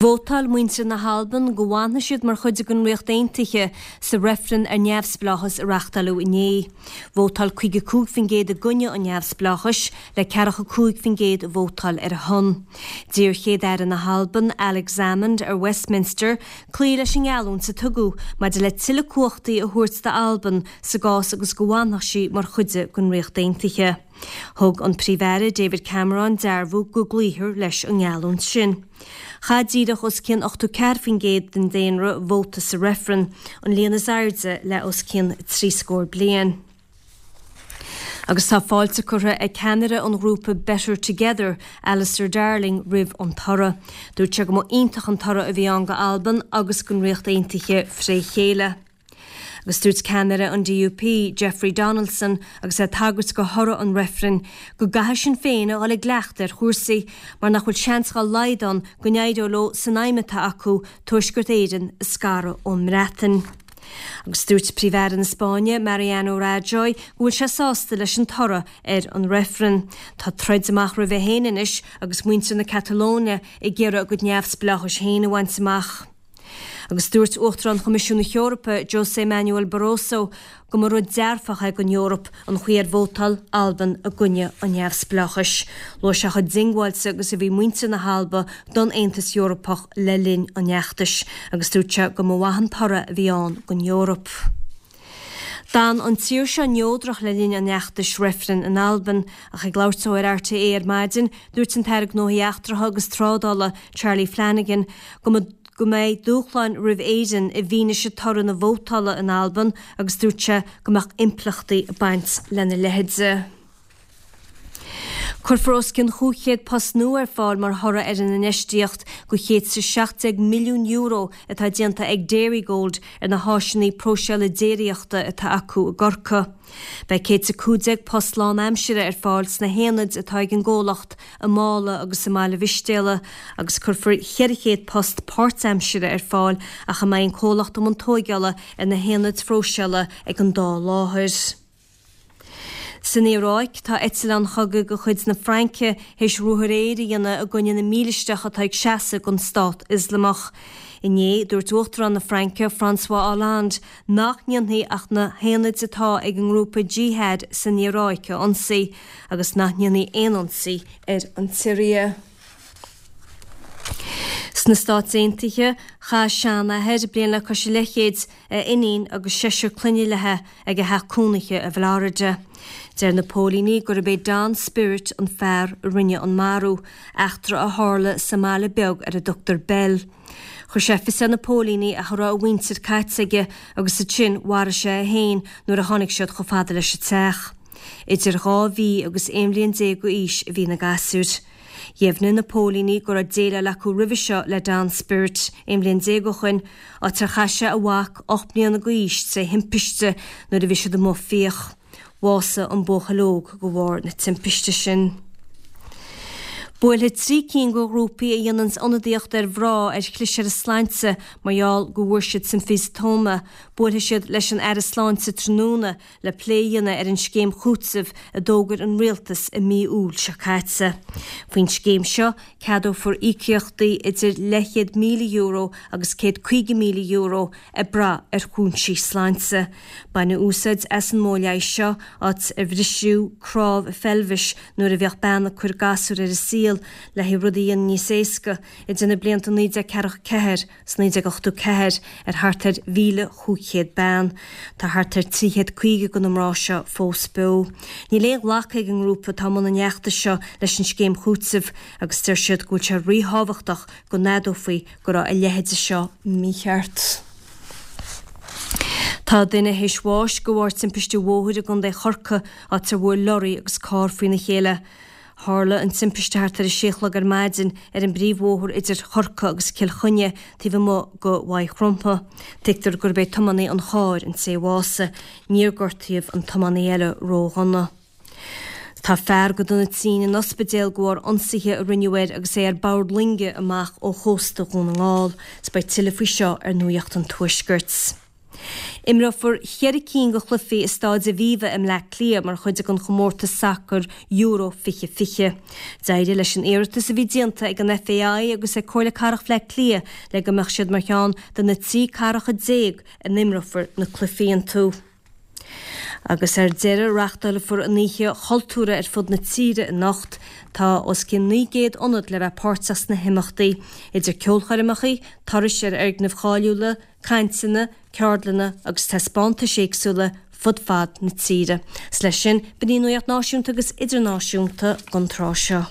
Vótáil muintir na hAlban go bhfanfaidh siad mar chuid den Ríocht Aontaithe sa reifreann ar neamhspleáchas a reáchtáladh inné. Vótáil 55% i gcoinne an neamhspleáchais, le 45% a vótáil ar a shon. D'iarr Chéad-Aire na hAlban, Alex Salmond, ar Westminster cloí leis an ngeallúint a tugadh maidir le tuilleadh cumhachtaí a thabhairt d'Albain sa gcás agus go bhfanfadh sí mar chuid den Ríocht Aontaithe. Thug an Príomh-Aire David Cameron dearbhú go gcloífear leis an ngeallúint sin. Chaith díreach os cionn 84% den daonra vóta sa reifreann, an líon is airde le os cionn trí scór bliain. Agus tá fáilte curtha ag ceannaire an ghrúpa Better Together, Alistair Darling, roimh an toradh. Dúirt sé go mba iontach an toradh a bhí ann go Albain agus don Ríocht Aontaithe fré chéile. Agus dúirt ceannaire an DUP, Jeffrey Donaldson, agus é ag tagairt go thoradh an reifrinn, go gcaithfidh Sinn Féin a dhul i gcleachtadh ar chúrsaí mar nach bhfuil seans dhá laghad ann go n-éireoidh leo san aidhm atá acu Tuaisceart Éireann a scaradh ón mBreatain. Agus dúirt Príomh-Aire na Spáinne, Mariano Rajoy, go bhfuil sé sásta leis an toradh ar an reifreann. Tá troid amach roimhe féin anois agus muintir na Catalóine ag iarraidh a gcuid neamhspleáchais féin a bhaint amach. Agus dúirt Uachtarán Choimisiún na hEorpa, José Manuel Barroso, go mba rud dearfach é don Eoraip an chaoi ar vótáil Albain i gcoinne an neamhspleáchais. Luaigh sé chomh diongbháilte agus a bhí muintir na hAlba don Aontas Eorpach le linn an fheachtais agus dúirt sé go mba mhaith an toradh a bhí ann don Eoraip. D'fhan an tír seo neodrach le linn an fheachtais reifrinn in Albain, ach ag labhairt dó ar RTÉ ar maidin, dúirt an tAire Gnóthaí Eachtracha agus Trádála, Charlie Flanagan, go mba go mbeidh dúshláin roimh Éirinn i bhfianaise toradh na vótála in Albain agus dúirt sé go mbeadh impleachtaí ag baint lena leithéid. Cuirfear os cionn 500 post nua ar fáil mar thoradh ar an infheistíocht de €117 milliún atá déanta ag Dairygold ar na háiseanna próiseála déiríochta atá acu i gCorcaigh. Beidh 115 post lánaimsire ar fáil sna haonaid atá ag an gcomhlacht i Mála agus i mBaile Mhistéala agus cuirfear 400 post páirtaimsire ar fáil ach a mbeidh an comhlacht i mbun tóigeála ar na haonaid phróiseála ag an dá láthair. San Iaráic, tá eitleáin chogaidh de chuid na Fraince théis ruathar aeir a dhéanamh i gcoinne na mílisteach atá ag seasamh don Stát Ioslamach. Inné, dúirt Uachtarán na Fraince, François Hollande, nach ndéanfaí ach na haonaid atá ag an ngrúpa Jihad san Iaráic a ionsaí, agus nach ndéanfaí aon ionsaí ar an tSiria. Sna Stáit Aontaithe, chaith seanathair, bliain le cois a leathchéid, a iníon agus seisear clainne léi ag a theach cónaithe i bhFlorida. Deir na póilíní gurb é Don Spirit an fear a rinne an marú, eachtra a tharla sa mbaile beag ar a dtugtar Bell. Chuir sé fios ar na póilíní ach a raibh a mhuintir caite aige agus ansin mharaigh sé é féin nuair a tháinig siad chomh fada leis an teach. Idir 2 mhí agus 11 bhliain d'aois a bhí na gasúir. Dheimhnigh na póilíní go raibh déileáil acu roimhe seo le Don Spirit 11 bhliain ó shoin, áit ar chaith sé a mhac 8 mbliana d'aois tré thimpiste nuair a bhí siad amuigh ag fiach. Bhásaigh an buachaill óg de bharr na timpiste sin. Buailfidh 3 cinn de ghrúpaí a dhéananns ionadaíocht ar mhná ar chlis ar a slainte mar gheall go bhfuair siad symphysatoma, buailfidh siad leis an Aire Sláinte tráthnóna le plé a dhéanamh ar an scéim chúitimh a d'fhógair an Rialtas i mí Iúil seo caite. Faoin scéim seo, ceadófar íocaíochtaí idir leathchéad €1,000 agus €150,000 ag brath ar chúinsí sláinte. Baineadh úsáid as an modh leighis seo áit ar bhriseadh cnámh pheilbhis nuair a bhíodh bean ag cur gasúr ar an saol le haghaidh rud a dhéanamh níos éasca idir na blianta 1944 's 1984 ar thart ar 1,500 bean. Tá thart ar 350 de na mná seo fós beo. Níl aon ghlacadh ag an ngrúpa atá i mbun an fheachtais seo leis an scéim chúitimh agus deir siad go bhfuil sé ríthábhachtach go n-admhófaí go raibh a leithéide seo mícheart. Tá duine théis bháis de bharr timpiste bhóthair i gContae Chorcaí áit ar bhuail lorraí agus carr faoina chéile. Tharla an timpiste thart ar a sé a chlog ar maidin ar an bpríomhbhóthar idir Chorcaigh agus Cill Chainnigh taobh amuigh de Mhaigh Chromtha. Tuigtear gurb é tiománaí an chairr an té a bhásaigh. Níor gortaíodh an tiománaí eile ródhona. Tá fear go dona tinn in ospidéal de bharr ionsaithe a rinneadh air agus é ar bord loinge amach ó chósta Dhún na nGall. 'S beidh tuilleadh faoi seo ar Nuacht an Tuaiscirt. Imreofar cheithre cinn de chluichí i Stáid Aviva i mBleá Cliath mar chuid den chomórtas sacair Euro 2020. D'éirigh leis an iarratas a bhí déanta ag an FAI agus ag Comhairle Cathrach Bhleá Cliath le go mbeadh siad mar cheann de na 13 cathracha a n-imreofar na cluichí iontu. Agus ar deireadh, reáchtálfar an Oíche Chultúrtha ar fud na tíre anocht. Tá os cionn 900 ionad le bheith páirteach sna himeachtaí, idir ceolchoirmeacha, turais ar fhoirgnimh cháiliúla, cainteanna, ceardlanna agus taispeántais éagsúla fud fad na tíre. 'S leis sin, b'in í an nuacht náisiúnta agus idirnáisiúnta don tráth seo.